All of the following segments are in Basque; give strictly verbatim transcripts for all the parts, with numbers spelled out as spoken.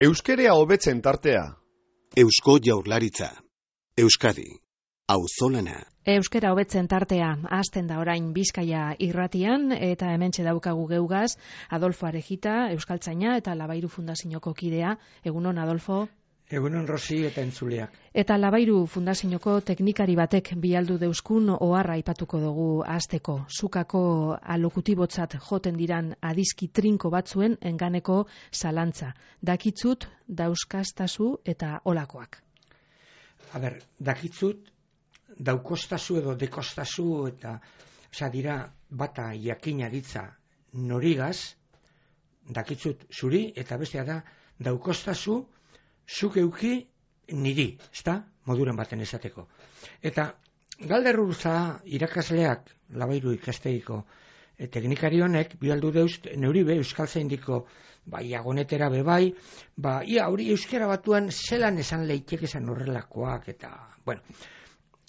Euskerea hobetzen tartea. Eusko Jaurlaritza. Euskadi. Auzolana. Euskera hobetzen tartea hasten da orain Bizkaia irratian eta hementxe daukagu geugaz Adolfo Arejita, euskaltzaina eta Labairu Fundazioko kidea. Egunon, Adolfo. Egunon, Rosi eta entzuleak. Eta Labairu Fundazioko teknikari batek bialdu deuskun oharra aipatuko dugu hasteko. Zukako alokutibotzat joten diran adizki trinko batzuen enganeko zalantza. Dakitzut, dauzkastazu eta olakoak. A ber, dakitzut, daukostazu edo dekostazu eta oza, dira bata jakina ditza norigaz, dakitzut zuri, eta bestea da daukostazu zuk euki niri, ezta? Moduren baten esateko. Eta galderrurza irakasleak, Labairu ikastegiko e, teknikari honek, bialdu deuz, neuri be, euskaltzaindiko bai agonetera be bai, ba, ia hori euskera batuan zelan esan leitek esan horrelakoak, eta, bueno,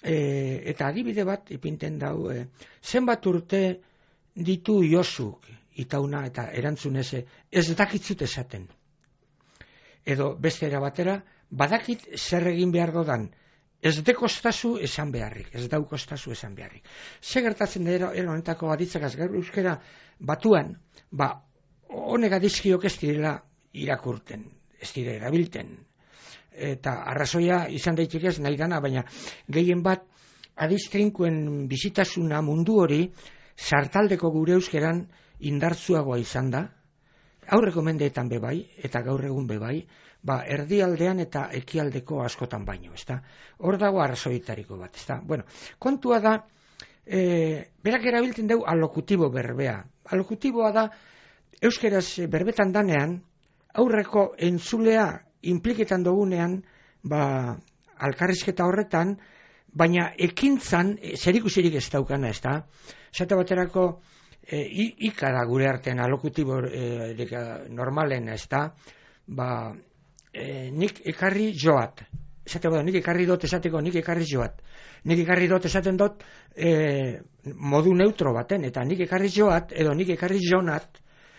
e, eta adibide bat ipinten dau, e, zenbat urte ditu Josuk, itauna eta erantzunez, ez dakitzut esaten. Edo beste era batera, badakit zer egin behar dodan, ez dekostazu esan beharrik, ez daukostazu esan beharrik. Ze gertatzen da honetako aditzakaz gaur euskera batuan, ba, honek adizkiok ez direla irakurten, ez dire erabilten. Eta arrazoia izan daiteke ez nahi dana, baina gehien bat adiztrinkoen bizitasuna mundu hori sartaldeko gure euskeran indartzuagoa izan da, aurreko mendeetan bebai, eta gaur egun bebai, ba, erdialdean eta ekialdeko askotan baino, ezta? Hor dago arrazoitariko bat, ezta? Bueno, kontua da, e, berak erabiltzen dugu alokutibo berbea. Alokutiboa da, euskeraz berbetan danean, aurreko entzulea impliketan dugunean, ba, alkarrizketa horretan, baina ekintzan zerikusirik ez daukana, ezta? Zata baterako, E, ika da gure artean alokutibo e, normalen, ez da, ba, e, nik ekarri joat, esate bada, nik ekarri dot esateko, nik ekarri joat, nik ekarri dot esaten dot e, modu neutro baten, eta nik ekarri joat, edo nik ekarri jonat,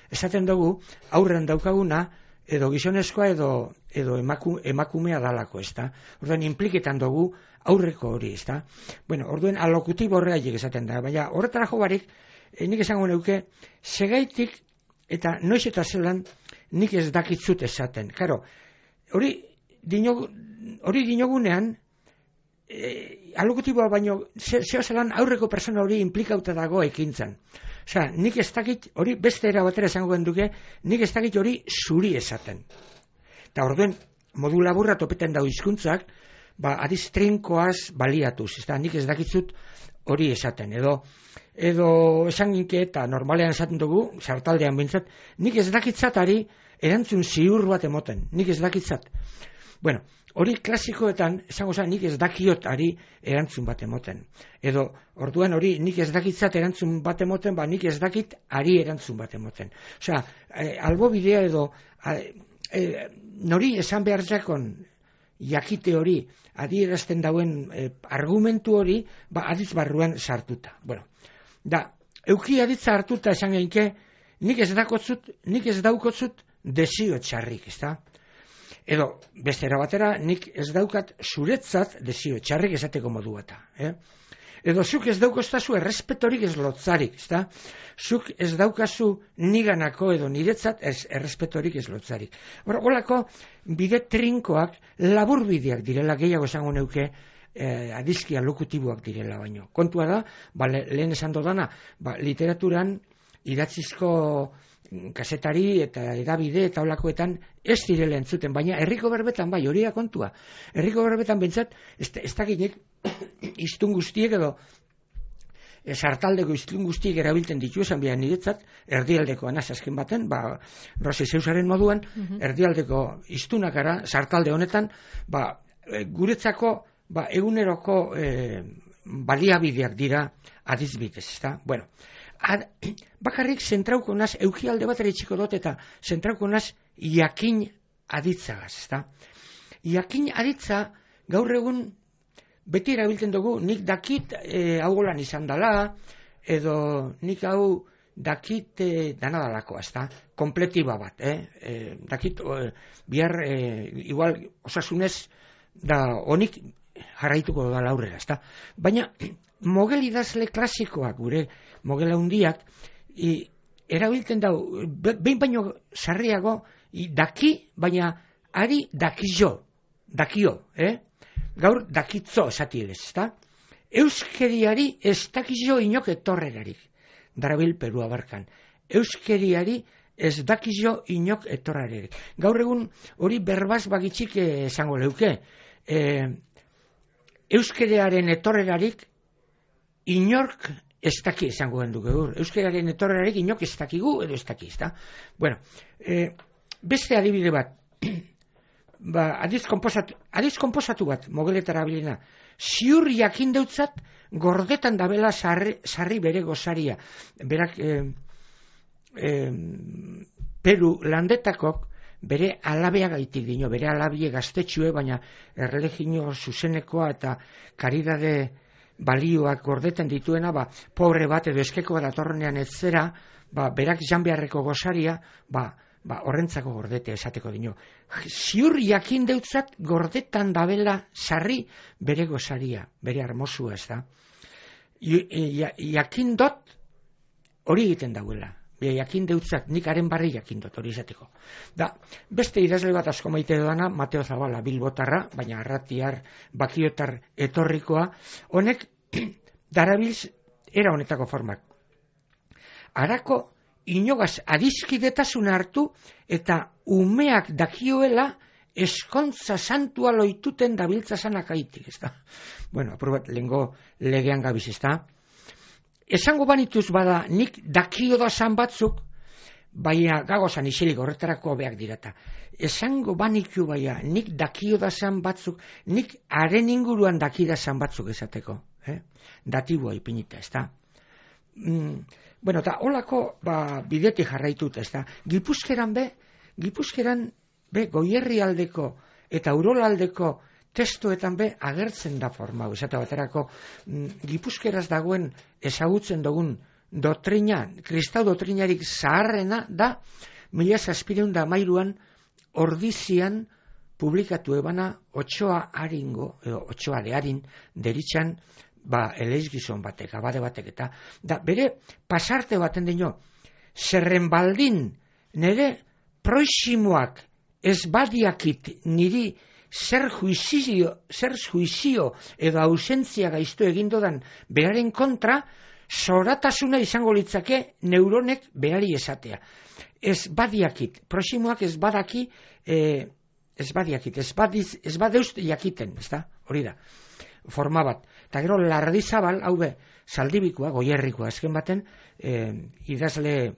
esaten dugu, aurren daukaguna, edo gizonezkoa, edo, edo emaku, emakumea dalako, ez da, orduan impliketan dugu aurreko hori, ez da, bueno, orduen alokutibo horreaik esaten da, baina horretara jo barik, E, nik esango neuke, segaitik eta noiz eta zelan nik ez dakitzut esaten. Karo, hori dinogu, hori dinogunean, e, alokutiboa baino, zeo zelan aurreko persona hori implikauta dago ekintzan. Osea, nik ez dakit, hori beste era batera esango genduke, nik ez dakit hori zuri esaten. Eta orduen, modu laburra topeten dago hizkuntzak, ba, adiz trinkoaz baliatuz, ez da, nik ez dakitzut hori esaten, edo edo esan ginke eta normalean esaten dugu, sartaldean bintzat, nik ez dakitzatari erantzun ziur bat emoten, nik ez dakitzat. Bueno, hori klasikoetan, esango zen, nik ez dakiotari erantzun bat emoten. Edo, orduan hori, nik ez dakitzat erantzun bat emoten, ba nik ez dakit ari erantzun bat emoten. Osea, e, albo bidea edo, e, e, nori esan behar jakon, jakite hori, adierazten dauen e, argumentu hori, ba adiz barruan sartuta. Bueno, da, euki aditza hartuta esan genke, nik ez dakotzut, nik ez daukotzut desio txarrik, ez da? Edo, beste era batera, nik ez daukat zuretzat desio txarrik esateko modu bata. Eh? Edo, zuk ez daukoztazu errespetorik ez lotzarik, ez da? Zuk ez daukazu niganako edo niretzat ez errespetorik ez lotzarik. Horrelako bide trinkoak labur bideak direla, gehiago esango neuke, Eh, adizki alokutiboak direla baino. Kontua da, ba, le, lehen esan dodana, ba, literaturan idatzizko kasetari eta edabide eta olakoetan ez direla entzuten, baina herriko berbetan bai, hori da kontua. Herriko berbetan bentsat, ez, ez dakinek iztun guztiek edo e, sartaldeko iztun guztiek erabiltzen ditu esan behar niretzat, erdialdeko anaz azken baten, ba, Rosi Zeusaren moduan, mm-hmm. erdialdeko iztunakara, sartalde honetan, ba, e, guretzako ba, eguneroko e, baliabideak dira adizbidez, ezta? Bueno, ad, bakarrik zentrauko naz, eukialde bat ere txiko dut eta zentrauko naz jakin aditzagaz, ezta? Jakin aditza gaur egun beti erabiltzen dugu, nik dakit e, hau golan izan dela, edo nik hau dakit e, danadalakoa, ez da, kompletiba bat, eh? E, dakit, e, bihar, e, igual, osasunez, da honik jarraituko da aurrera, ez da. Baina, mogel idazle klasikoak, gure mogela hundiak, i, erabiltzen dau, behin baino sarriago, i, daki, baina ari dakio, dakio, eh? Gaur dakitzo esati ez, ez da. Euskeriari ez dakio inok etorrerarik, darabil Perua barkan. Euskeriari ez dakio inok etorrerarik. Gaur egun hori berbaz bagitxik esango leuke. E, Euskeriaren etorrerarik inork ez daki esango gendu gaur. Euskeriaren etorrerarik inok ez dakigu edo ez daki, ez da. Bueno, e, beste adibide bat, ba, adiz komposatu, adiz komposatu bat, mogeletara bilena, ziur jakin deutzat gordetan dabela sarri, sarri bere gozaria. Berak, eh, eh, Peru landetakok bere alabea gaitik dino, bere alabie gaztetxue, baina erreligio zuzenekoa eta karidade balioak gordetan dituena, ba, pobre bat edo eskeko bat atorrenean ez zera, ba, berak jan beharreko gozaria, ba, ba, horrentzako gordete esateko dino. Ziur jakin deutzat gordetan dabela sarri bere gozaria, bere armosua, ez da. Jakin dot hori egiten dauela. Jakin deutzat, nik haren barri jakin dut hori izateko. Da, beste idazle bat asko maite dudana, Mateo Zabala, Bilbotarra, baina arratiar, bakiotar etorrikoa, honek darabilz era honetako formak. Arako inogaz adiskidetasuna hartu eta umeak dakioela eskontza santua loituten dabiltza zanak aitik, ez da. Bueno, aprobat, lehengo legean gabiz, ez da. Esango banituz bada, nik dakio dazan batzuk, baina gagozan isilik horretarako beak dirata. Esango baniku baina, nik dakio dazan batzuk, nik haren inguruan dakidazan batzuk esateko. Eh? Datibua ipinita, ez da. Mm, bueno, eta holako ba, bidetik jarraitut, ez da. Gipuzkeran be, Gipuzkeran be, goierri aldeko eta urolaldeko testuetan be agertzen da forma, esate baterako mm, Gipuzkeraz dagoen ezagutzen dugun doktrina, kristau doktrinarik zaharrena da mila zazpireun da mairuan ordizian publikatu ebana Otxoa Aringo, edo Otxoa de Arin deritxan ba, eleiz gizon batek, abade batek eta da, bere pasarte baten dino zerren baldin nire proximoak ez badiakit niri zer juizio, zer juizio edo ausentzia gaiztu egindodan beraren kontra, zoratasuna izango litzake neuronek berari esatea. Ez badiakit, proximoak ez badaki, eh, ez badiakit, ez, badiz, ez badeust jakiten, ez da, hori da, forma bat. Eta gero Lardizabal, hau be, Zaldibikoa, Goierrikoa, azken baten, eh, idazle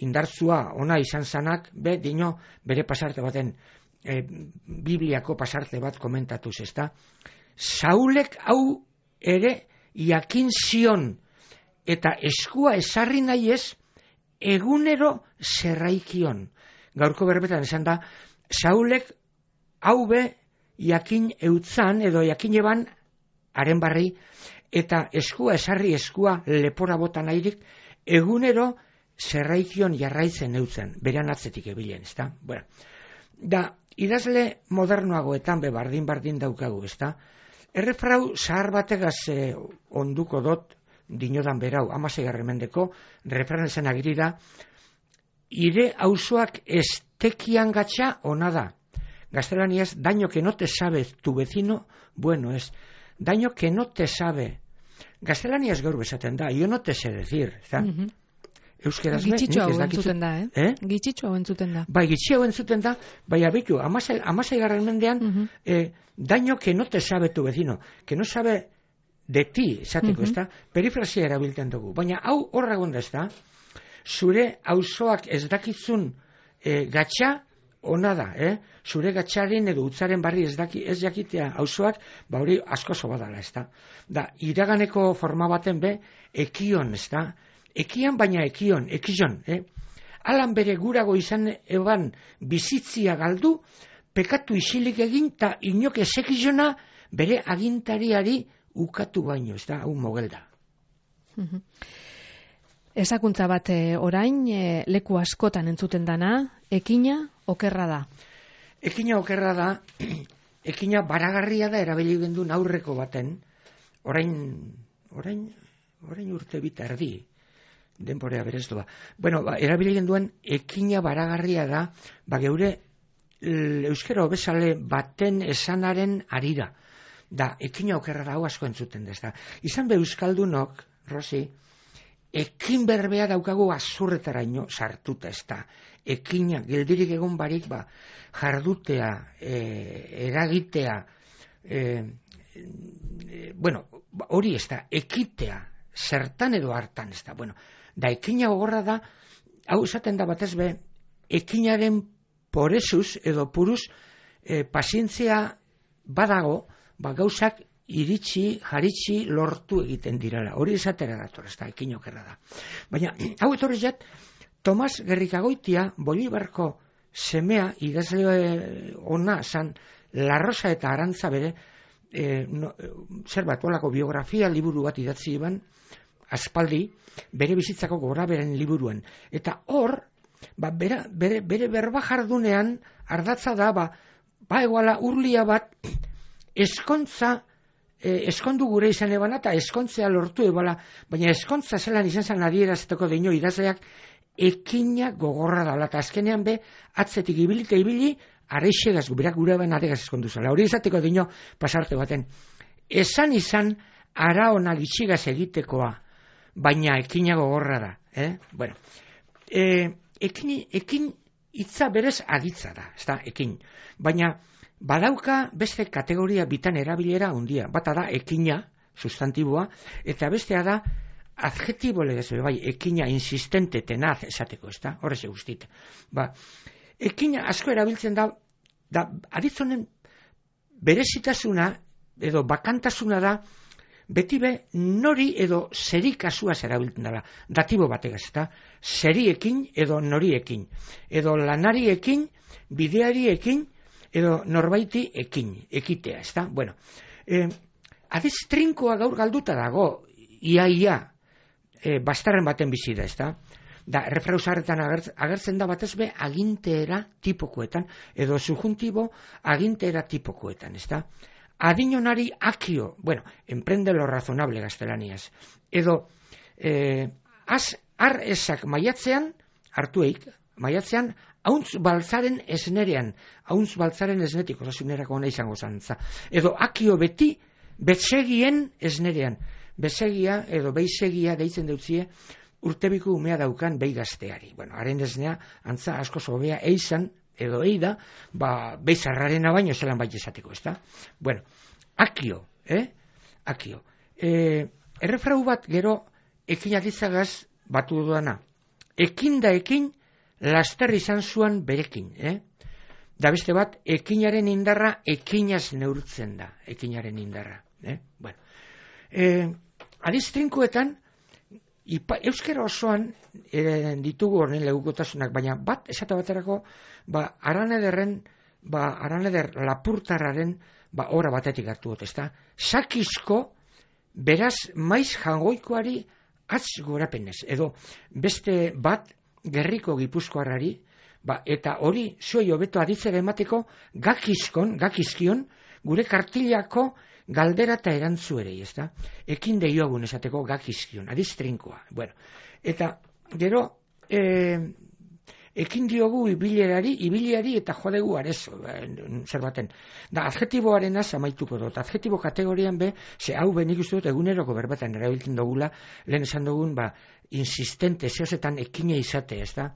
indartzua ona izan zanak, be, dino, bere pasarte baten, E, Bibliako pasarte bat komentatuz, ez da. Saulek hau ere jakin zion eta eskua esarri nahi ez egunero zerraikion. Gaurko berbetan esan da, Saulek hau be jakin eutzan edo jakin eban haren barri eta eskua esarri eskua lepora bota nahirik egunero zerraikion jarraitzen eutzen, beran atzetik ebilen, ez da. Bueno, da, idazle modernoagoetan be bardin-bardin daukagu, ez da? Errefrau zahar bategaz eh, onduko dot, dinodan berau, amaseigarren mendeko, refran esan agiri da, ire auzoak estekian gatxa ona da. Gaztelaniaz, daño que no te sabe tu vecino, bueno es. Daño que no te sabe. Gaztelaniaz gaur bezaten da, yo no te sé decir, ez da? Mm-hmm. Euskeraz be, Gitxitxo hau entzuten da, eh? eh? Gitxitxo hau entzuten da. Bai, gitxitxo hau entzuten da, bai abitu, amasei garren mendean, uh-huh. eh, daño que no te sabe tu vecino, que no sabe de ti, esateko, uh-huh. ez da? Perifrazia erabiltzen dugu, baina hau horra gonda, ez da? Zure auzoak ez dakitzun eh, gatxa, ona da, eh? Zure gatxaren edo utzaren barri ez, daki, ez jakitea auzoak, ba hori asko badala, ez da? Da, iraganeko forma baten be, ekion, ez da? Ekian baina ekion, ekion, eh? Alan bere gurago izan eban bizitzia galdu, pekatu isilik egin, eta inok ezekizona bere agintariari ukatu baino, ez da, hau mogel da. Ezakuntza bat orain, e, leku askotan entzuten dana, ekina okerra da. Ekina okerra da, ekina baragarria da erabili gendun aurreko baten, orain, orain, orain urte bita erdi, denporea berez doa. Bueno, ba, erabili genduen ekina baragarria da, ba geure euskera hobesale baten esanaren arira. Da, ekina okerra da, hau asko entzuten dez da. Izan be euskaldunok, Rosi, ekin berbea daukagu azurretaraino sartuta ez da. Ekina, geldirik egon barik, ba, jardutea, e, eragitea, e, e, bueno, hori ez da, ekitea, zertan edo hartan ez da. Bueno, da, ekina gogorra da, hau esaten da batez be, ekinaren poresuz edo puruz e, pazientzia badago, ba, gauzak iritsi, jaritsi, lortu egiten direla. Hori esatera dator, ez da, ekin okerra da. Baina, hau etorri jat, Tomas Gerrikagoitia, Bolibarko semea, idazle ona zan, La Rosa eta Arantza bere, e, no, zer bat, olako biografia liburu bat idatzi iban, aspaldi, bere bizitzako goraberen liburuen. Eta hor, ba, bere, bere, bere berba jardunean, ardatza da, ba, ba eguala urlia bat, eskontza, eh, eskondu gure izan ebana, eta eskontzea lortu ebala, baina eskontza zelan izan zan adierazteko deino idazleak, ekina gogorra dala, eta azkenean be, atzetik ibilite ibili, areixegaz, berak gure ben adegaz eskondu zala. Hori izateko deino pasarte baten. Esan izan, ara ona gitxigaz egitekoa, baina ekina gogorra da. Eh? Bueno, eh, ekin, ekin hitza berez aditza da, ez da, ekin. Baina, badauka beste kategoria bitan erabilera handia. Bata da ekina, sustantiboa, eta bestea da adjetibo legez, bai, ekina insistente tenaz esateko, ez da, horrez guztit. Ba, ekina asko erabiltzen da, da aditzonen berezitasuna edo bakantasuna da, beti be nori edo zeri kasuaz erabiltzen dela, datibo bategaz, eta zeriekin edo noriekin, edo lanariekin, bideariekin, edo norbaiti ekin, ekitea, ez da? Bueno, eh, adiz trinkoa gaur galduta dago, ia, ia, eh, bastarren baten bizi da, ez da? Da, errefrausarretan agertzen da batez be aginteera tipokoetan, edo subjuntibo aginteera tipokoetan, ez da? Adinonari akio, bueno, emprende lo razonable gaztelaniaz, edo eh, az, ar esak maiatzean, hartueik, maiatzean, hauntz baltzaren esnerean, hauntz baltzaren esnetik, osasunerako ona izango zantza, edo akio beti, betzegien esnerean, bezegia edo beisegia deitzen dutzie, urtebiku umea daukan behi gazteari. Bueno, haren esnea, antza asko zobea eizan, edo eida, ba, beizarrarena baino zelan bai esateko, ez da? Bueno, akio, eh? Akio. E, errefrau bat gero ekin aditzagaz batu duana. Ekin da ekin, laster izan zuan berekin, eh? Da beste bat, ekinaren indarra ekinaz neurtzen da, ekinaren indarra, eh? Bueno, e, adiz trinkoetan, Ipa, euskera osoan e, ditugu horren legukotasunak, baina bat esate baterako, ba, aranederren, ba, araneder lapurtarraren, ba, ora batetik hartu dut, ezta? Sakizko, beraz, maiz jangoikoari atz gorapenez, edo beste bat gerriko gipuzkoarrari, ba, eta hori zuei hobeto aditzera emateko gakizkon, gakizkion, gure kartilako galdera eta erantzu ere, ez da? Ekin deiogun esateko gakizkion, adiz trinkoa. Bueno, eta gero, e, ekin diogu ibilerari, ibiliari eta jodegu arezo, zer baten. Da, adjetiboaren az amaituko dut. Adjetibo kategorian be, ze hau benik uste dut eguneroko berbatan erabiltzen dugula, lehen esan dugun, ba, insistente, zehozetan ekina izate, ez da?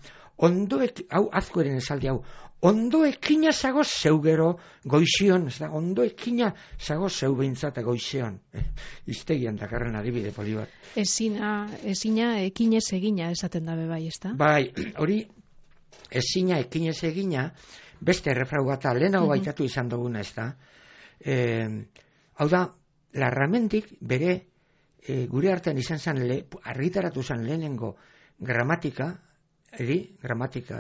Ondo, ek, hau azkoeren esaldi hau, ondo ekina zago zeu gero goizion, ez da, ondo ekina zago zeu behintzata goizion. Eh, iztegian dakarren adibide poli bat. Ezina, ezina ekinez egina esaten dabe bai, ez da? Bai, hori, ezina ekinez egina, beste errefrau bata, lehenago uh-huh. baitatu izan duguna, ez da. Eh, hau da, Larramendik bere e, gure artean izan zen, le, argitaratu zen lehenengo gramatika, eri, gramatika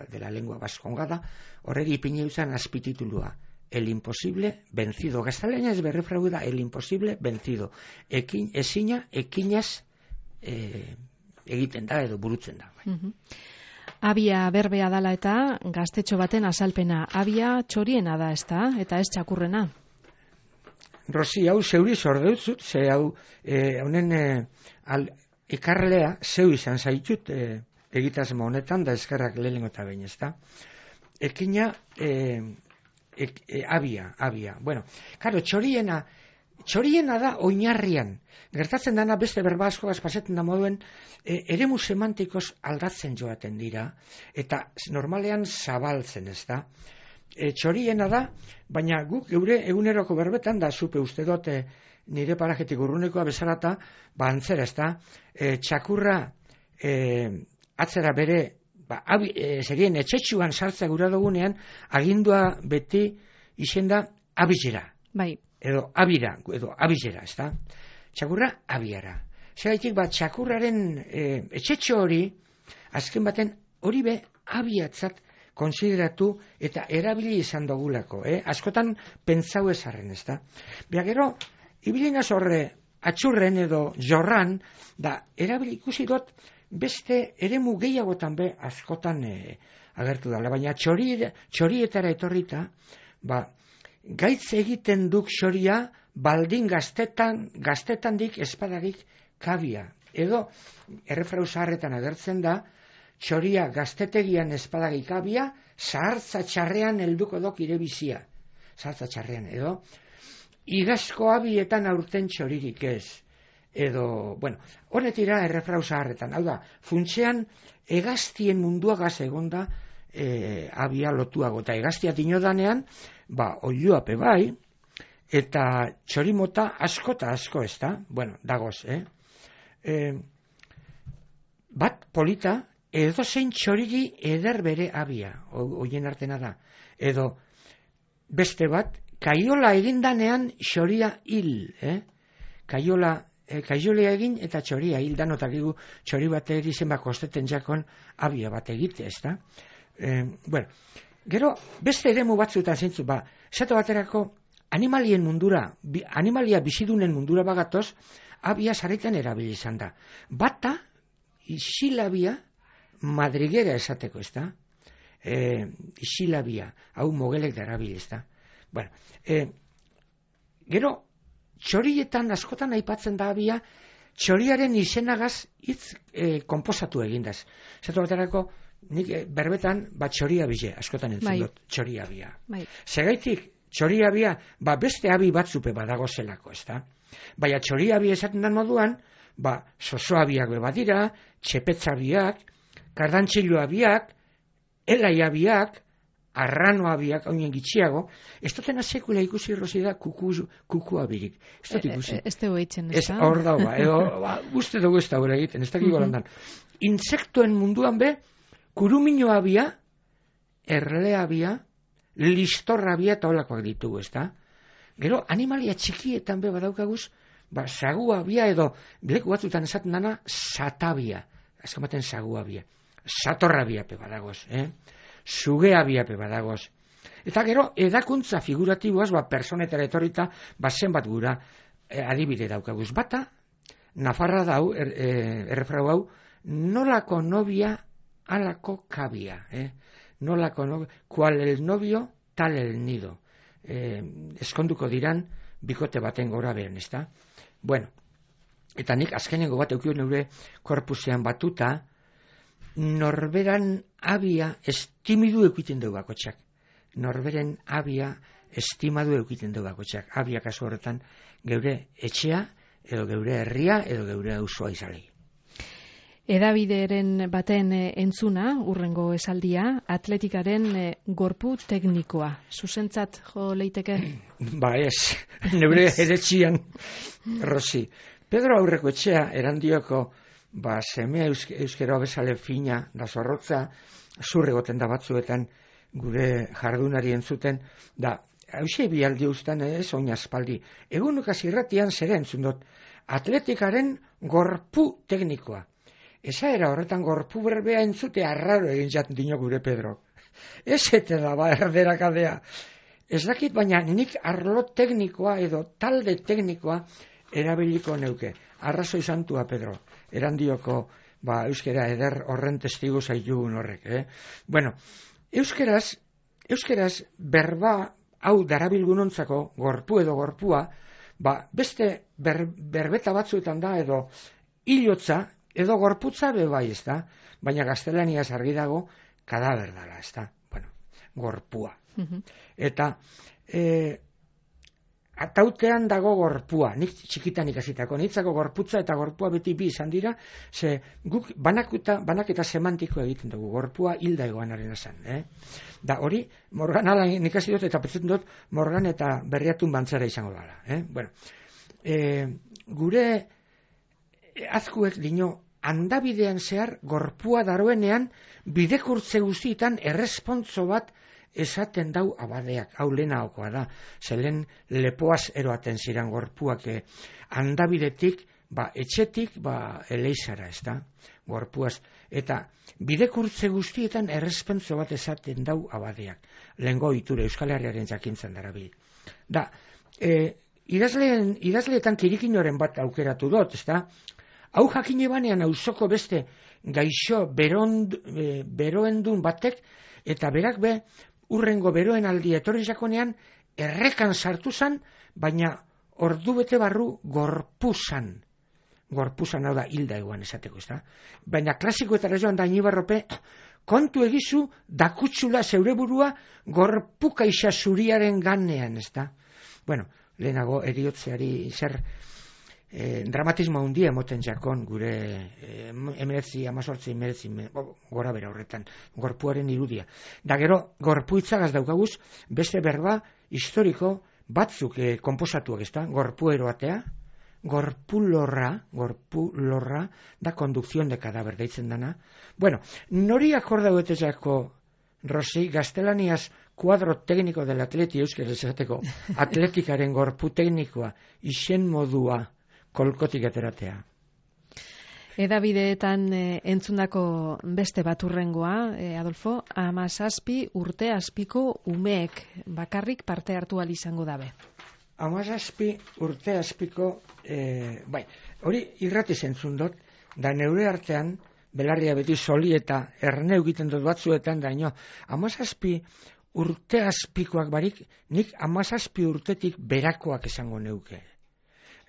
de la lengua vascongada, horregi ipini uzan azpititulua, el imposible vencido. Gaztelania ez berrefrau da, el imposible vencido. Ekin, ezina, ekinaz e, egiten da edo burutzen da. Mhm. Abia berbea dala eta gaztetxo baten azalpena. Abia txoriena da, ezta? Eta ez txakurrena. Rosi, hau zeuri zordeuzut, ze hau eh, honen eh, al, ekarlea zeu izan zaitut eh, egitasmo honetan, da eskerrak lehenengo eta behin, ezta? Ekina eh, ek, eh, abia, abia. Bueno, karo, txoriena, txoriena da oinarrian. Gertatzen dana beste berba asko pasetzen da moduen, e, eremu semantikoz aldatzen joaten dira, eta normalean zabaltzen, ez da. E, txoriena da, baina guk geure eguneroko berbetan, da zupe uste dote nire parajetik urrunekoa bezalata, ba antzera, ez da, e, txakurra e, atzera bere, ba, abi, e, zerien etxetxuan sartzea gura dugunean, agindua beti izenda abizera. Bai. Edo abira, edo abizera, ez da. Txakurra abiara. Zeraitik, ba, txakurraren e, etxetxo hori, azken baten hori be abiatzat konsideratu eta erabili izan dugulako. Eh? Askotan pentsau ezarren, ez da. Bia gero, ibilina zorre atxurren edo jorran, da erabili ikusi dut beste eremu gehiagotan be askotan e, agertu dala. Baina txori, txorietara etorrita, ba, gaitz egiten duk xoria, baldin gaztetan, gaztetandik espadarik kabia. Edo, errefrau zaharretan agertzen da, txoria gaztetegian espadagik kabia, zahartza txarrean helduko dok irebizia. Zahartza txarrean, edo, igazko abietan aurten txoririk ez. Edo, bueno, honetira errefrau zaharretan. Hau da, funtsean, egaztien munduagaz egonda e, abia lotuago. Eta egaztia dinodanean, ba, oiluape bai, eta txorimota asko eta asko, ez da? Bueno, dagoz, eh? E, bat polita, edo zein txoriri eder bere abia, hoien artena da. Edo, beste bat, kaiola egindanean txoria hil, eh? Kaiola, eh, kaiolia egin eta txoria hil, danotakigu txori bat erizen bako osteten jakon abia bat egite, ez da? E, bueno, gero, beste eremu batzuetan zeintzu, ba, zato baterako, animalien mundura, bi, animalia bizidunen mundura bagatoz, abia sarritan erabili izan da. Bata, isilabia, madriguera esateko, ez da? E, isilabia, hau mogelek da erabili, ez da? Bueno, e, gero, txorietan askotan aipatzen da abia, txoriaren izenagaz hitz e, konposatu egindaz. Zato baterako, nik e, berbetan, bat txoria bile, askotan entzun bai. dut, txoria bia. Bai. Segaitik, txoria bia, ba beste abi batzupe badago zelako, ez da? Baina txoria bia esaten da moduan, ba sosoa biak bebadira, txepetza biak, kardantxilua biak, elaia biak, arranoa biak, haunien gitxiago, ez dutena sekula ikusi Rosi da kuku, kukua birik. Ez dut ikusi. Ez dugu eitzen, ez da? Ez hor dago, ba, edo, ba, uste dugu ez da hori egiten, ez dakik golandan. Insektuen munduan be, kuruminoa bia, erlea bia, listorra bia eta olakoak ditugu, ez da? Gero, animalia txikietan be badaukaguz, ba, sagua bia edo, leku batzutan esaten dana, satabia. Azken baten sagua bia. Satorra bia pe badagoz, eh? Zugea bia pe badagoz. Eta gero, edakuntza figuratiboaz, ba, personetara etorrita, ba, zenbat gura eh, adibide daukaguz. Bata, Nafarra dau, er, eh, errefrau hau, nolako nobia, alako kabia, eh? Nolako novio, kual el novio, tal el nido. Eh, eskonduko diran, bikote baten gora beren, ez da? Bueno, eta nik azkenengo bat eukio neure korpusean batuta, norberan abia estimidu eukiten dugu bakotxak. Norberen abia estimadu eukiten dugu bakotxak. Abia kasu horretan geure etxea, edo geure herria, edo geure auzoa izalei. Edabideren baten entzuna, urrengo esaldia, atletikaren gorpu teknikoa. Zuzentzat jo leiteke? Ba ez, neure eretxian, Rosi. Pedro aurreko etxea erandioko, ba semea eusk euskera bezale fina da zorrotza, zurregoten da batzuetan gure jardunari entzuten, da, hauxe bialdi ustan ez, oin aspaldi. Egunukaz irratian zera entzun dut, atletikaren gorpu teknikoa. Eza era horretan gorpu berbea entzute arraro egin jaten dino gure Pedro. Ez ete da ba erderakadea. Ez dakit baina nik arlo teknikoa edo talde teknikoa erabiliko neuke. Arrazoi santua Pedro. Erandioko ba, euskera eder horren testigu zaitugun horrek, eh? Bueno, euskeraz, euskeraz berba hau darabilgunontzako, gorpu edo gorpua, ba, beste ber, berbeta batzuetan da, edo hilotza, edo gorputza be bai, ez da? Baina gaztelaniaz argi dago, kadaber dala, ez da? Bueno, gorpua. Uh-huh. Eta, e, atautean dago gorpua, nik txikitan ikasitako, nitzako gorputza eta gorpua beti bi izan dira, ze guk banakuta, banaketa semantiko egiten dugu, gorpua hilda egoanaren esan, eh? Da hori, Morgan ala nik hasi dut eta pentsatzen dut Morgan eta Berriatun bantzera izango dela, eh? Bueno, e, gure azkuek dino, handabidean zehar gorpua daroenean bidekurtze guztietan errespontzo bat esaten dau abadeak, hau lehenagokoa da, zelen lepoaz eroaten ziren gorpuak eh, handabidetik, ba, etxetik, ba, eleizara, ez da, gorpuaz, eta bidekurtze guztietan errespontzo bat esaten dau abadeak, lehengo iture Euskal Herriaren jakintzen darabil. Da, e, idazleen, idazleetan kirikinoren bat aukeratu dut, ez da, hau jakine banean auzoko beste gaixo berond, e, beroendun batek, eta berak be, urrengo beroen aldi etorri jakonean, errekan sartu zan, baina ordu bete barru gorpuzan. Gorpuzan hau da hilda eguan esateko, ez da? Baina klasikoetara joan da Inibarrope, kontu egizu, dakutsula zeure burua gorpuka isa zuriaren ganean, ez da? Bueno, lehenago eriotzeari zer eh, dramatismo handia emoten jakon gure eh, emeretzi, amazortzi, emeretzi, gora bera horretan, gorpuaren irudia. Da gero, gorpuitzagaz daukaguz, beste berba historiko batzuk eh, konposatuak, ez da? Gorpu eroatea, gorpulorra, gorpulorra, da kondukzion de kadaber deitzen dana. Bueno, nori akordauetezako, Rosi, gaztelaniaz kuadro tekniko del atleti euskera esateko, atletikaren gorpu teknikoa, izen modua, kolkotik ateratea. Edabideetan e, entzundako beste baturrengoa, e, Adolfo, amazazpi urte azpiko umeek bakarrik parte hartu ahal izango dabe. Amazazpi urte azpiko, e, bai, hori irrati zentzun dut, da neure artean, belarria beti soli eta erne egiten dut batzuetan, da ino, amazazpi urte azpikoak barik, nik amazazpi urtetik berakoak esango neuke.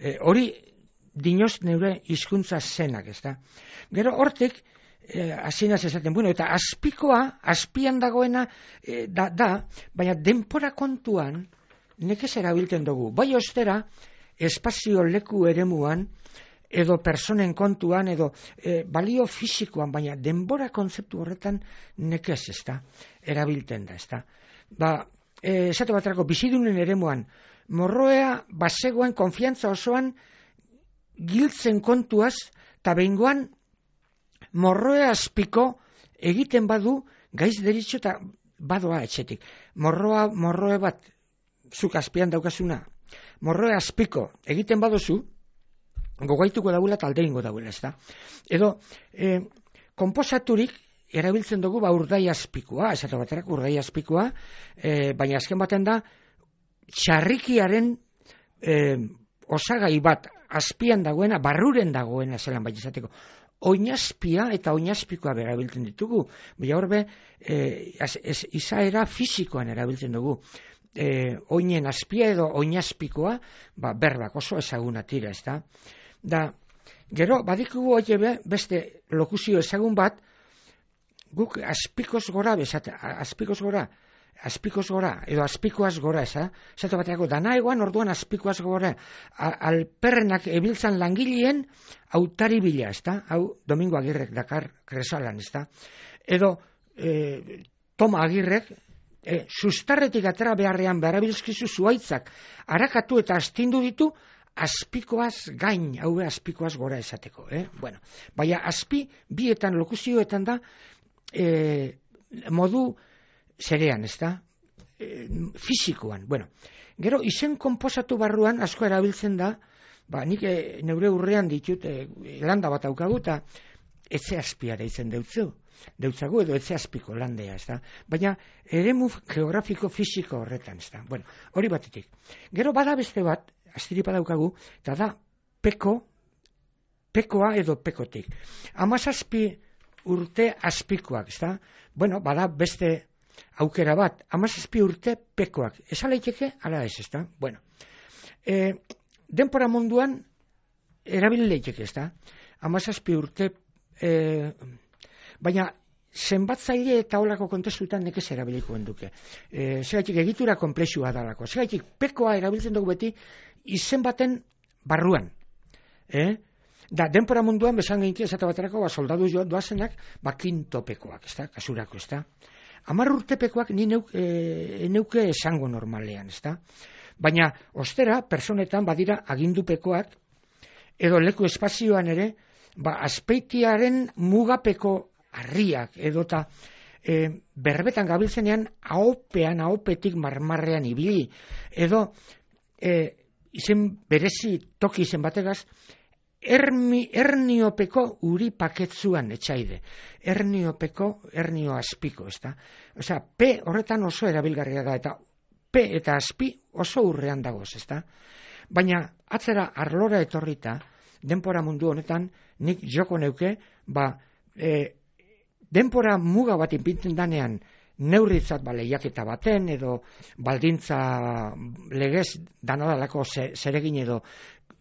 E, hori dinoz neure hizkuntza zenak, ez da. Gero hortik, e, azinaz esaten, bueno, eta azpikoa, azpian dagoena, e, da, da, baina denpora kontuan, nekez erabiltzen dugu. Bai ostera, espazio leku eremuan, edo personen kontuan, edo e, balio fisikoan, baina denbora kontzeptu horretan nekez, ez da, erabiltzen da, ez da. Ba, e, esate baterako, bizidunen eremuan, morroea bazegoen konfiantza osoan giltzen kontuaz, eta behingoan morroea azpiko egiten badu gaiz deritxo eta badoa etxetik. Morroa, morroe bat, zuk azpian daukazuna, morroea azpiko egiten badozu, gogaituko dagoela eta alde ingo dagoela, ez da. Edo, e, konposaturik erabiltzen dugu ba urdai azpikoa, esate baterak urdai azpikoa, e, baina azken baten da, txarrikiaren e, osagai bat azpian dagoena, barruren dagoena zelan baita izateko. Oinazpia eta oinazpikoa erabiltzen ditugu, baina horbe, e, izaera fisikoan erabiltzen dugu. E, oinen azpia edo oinazpikoa, ba, berbak oso ezaguna tira, ez da. Da, gero, badikugu hori beste lokuzio ezagun bat, guk azpikoz gora, bezate, azpikoz gora, azpikoz gora, edo azpikoaz gora, eza, esatu bateako, dana egoan orduan azpikoaz gora, alperrenak ebiltzan langileen autari bila, ez da, hau Domingo Agirrek dakar kresalan, ez da, edo e, Toma Agirrek, e, sustarretik atera beharrean berabilzkizu zuaitzak, harakatu eta astindu ditu, azpikoaz gain, hau azpikoaz gora esateko, eh? Bueno, baina azpi bietan lokuzioetan da e, modu zerean, ez da? E, fisikoan, bueno. Gero, izen konposatu barruan asko erabiltzen da, ba, nik e, neure urrean ditut e, landa bat aukagu eta etxe azpia deitzen deutzu, deutzagu edo etxe azpiko landea, ez da? Baina eremu geografiko fisiko horretan, ez da? Bueno, hori batetik. Gero bada beste bat, astiripa daukagu, eta da peko pekoa edo pekotik. Hamazazpi urte azpikoak, ezta? Bueno, bada beste aukera bat, hamazazpi urte pekoak. Ez alaiteke, ala ez, ezta? Bueno, e, denpora munduan erabili leiteke, ezta? Hamazazpi urte, e, baina zenbatzaile eta holako kontestutan nekez erabiliko enduke. E, Zegaitik egitura komplexua dalako. Zegaitik pekoa erabiltzen dugu beti izen baten barruan. Eh? Da, denpora munduan besan geinki esate baterako, ba, soldadu jo doazenak, ba, kintopekoak, ez da, kasurako, ez da. Hamar urtepekoak ni neuk, e, neuke esango normalean, ez da. Baina, ostera, personetan badira agindupekoak, edo leku espazioan ere, ba, azpeitiaren mugapeko harriak, edota e, berbetan gabiltzenean ahopean, ahopetik marmarrean ibili, edo e, izen berezi toki izen bategaz, Ermi, erniopeko uri paketzuan etxaide. Erniopeko, ernio azpiko, ez da? Osea, P horretan oso erabilgarria da, eta P eta azpi oso urrean dagoz, ez da? Baina, atzera arlora etorrita, denpora mundu honetan, nik joko neuke, ba, e, denpora muga bat inpinten danean, neurritzat ba, lehiaketa baten, edo baldintza legez danadalako zeregin edo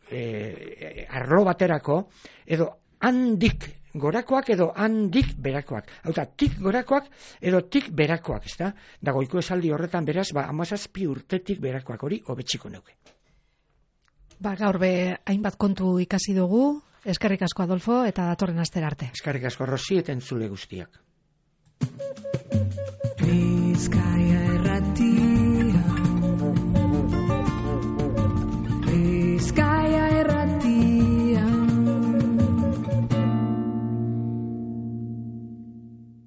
E, arlo baterako, edo handik gorakoak edo handik berakoak. Hau da, tik gorakoak edo tik berakoak, ez da? Da goiko esaldi horretan beraz, ba, hamazazpi urtetik berakoak hori hobetsiko neuke. Ba, gaur be hainbat kontu ikasi dugu, eskerrik asko Adolfo, eta datorren astera arte. Eskerrik asko Rosi eta entzule guztiak. Bizkaia